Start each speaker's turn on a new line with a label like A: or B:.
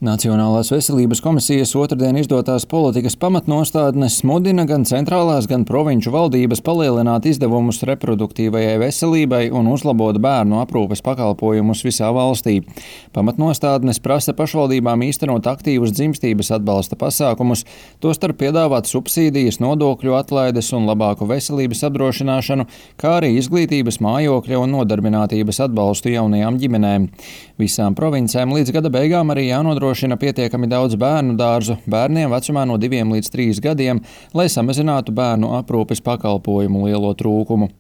A: Nacionālās veselības komisijas otrdien izdotās politikas pamatnostādnes mudina gan centrālās, gan provinču valdības palielināt izdevumus reproduktīvajai veselībai un uzlabot bērnu aprūpes pakalpojumus visā valstī. Pamatnostādnes prasa pašvaldībām īstenot aktīvus dzimstības atbalsta pasākumus, tostarp piedāvāt subsīdijas, nodokļu atlaides un labāku veselības apdrošināšanu, kā arī izglītības, mājokļa un nodarbinātības atbalstu jaunajām ģimenēm. Visām provincēm līdz gada beigām arī jānodrošina pietiekami daudz bērnu dārzu bērniem vecumā no 2 līdz 3 gadiem, lai samazinātu bērnu aprūpes pakalpojumu lielo trūkumu.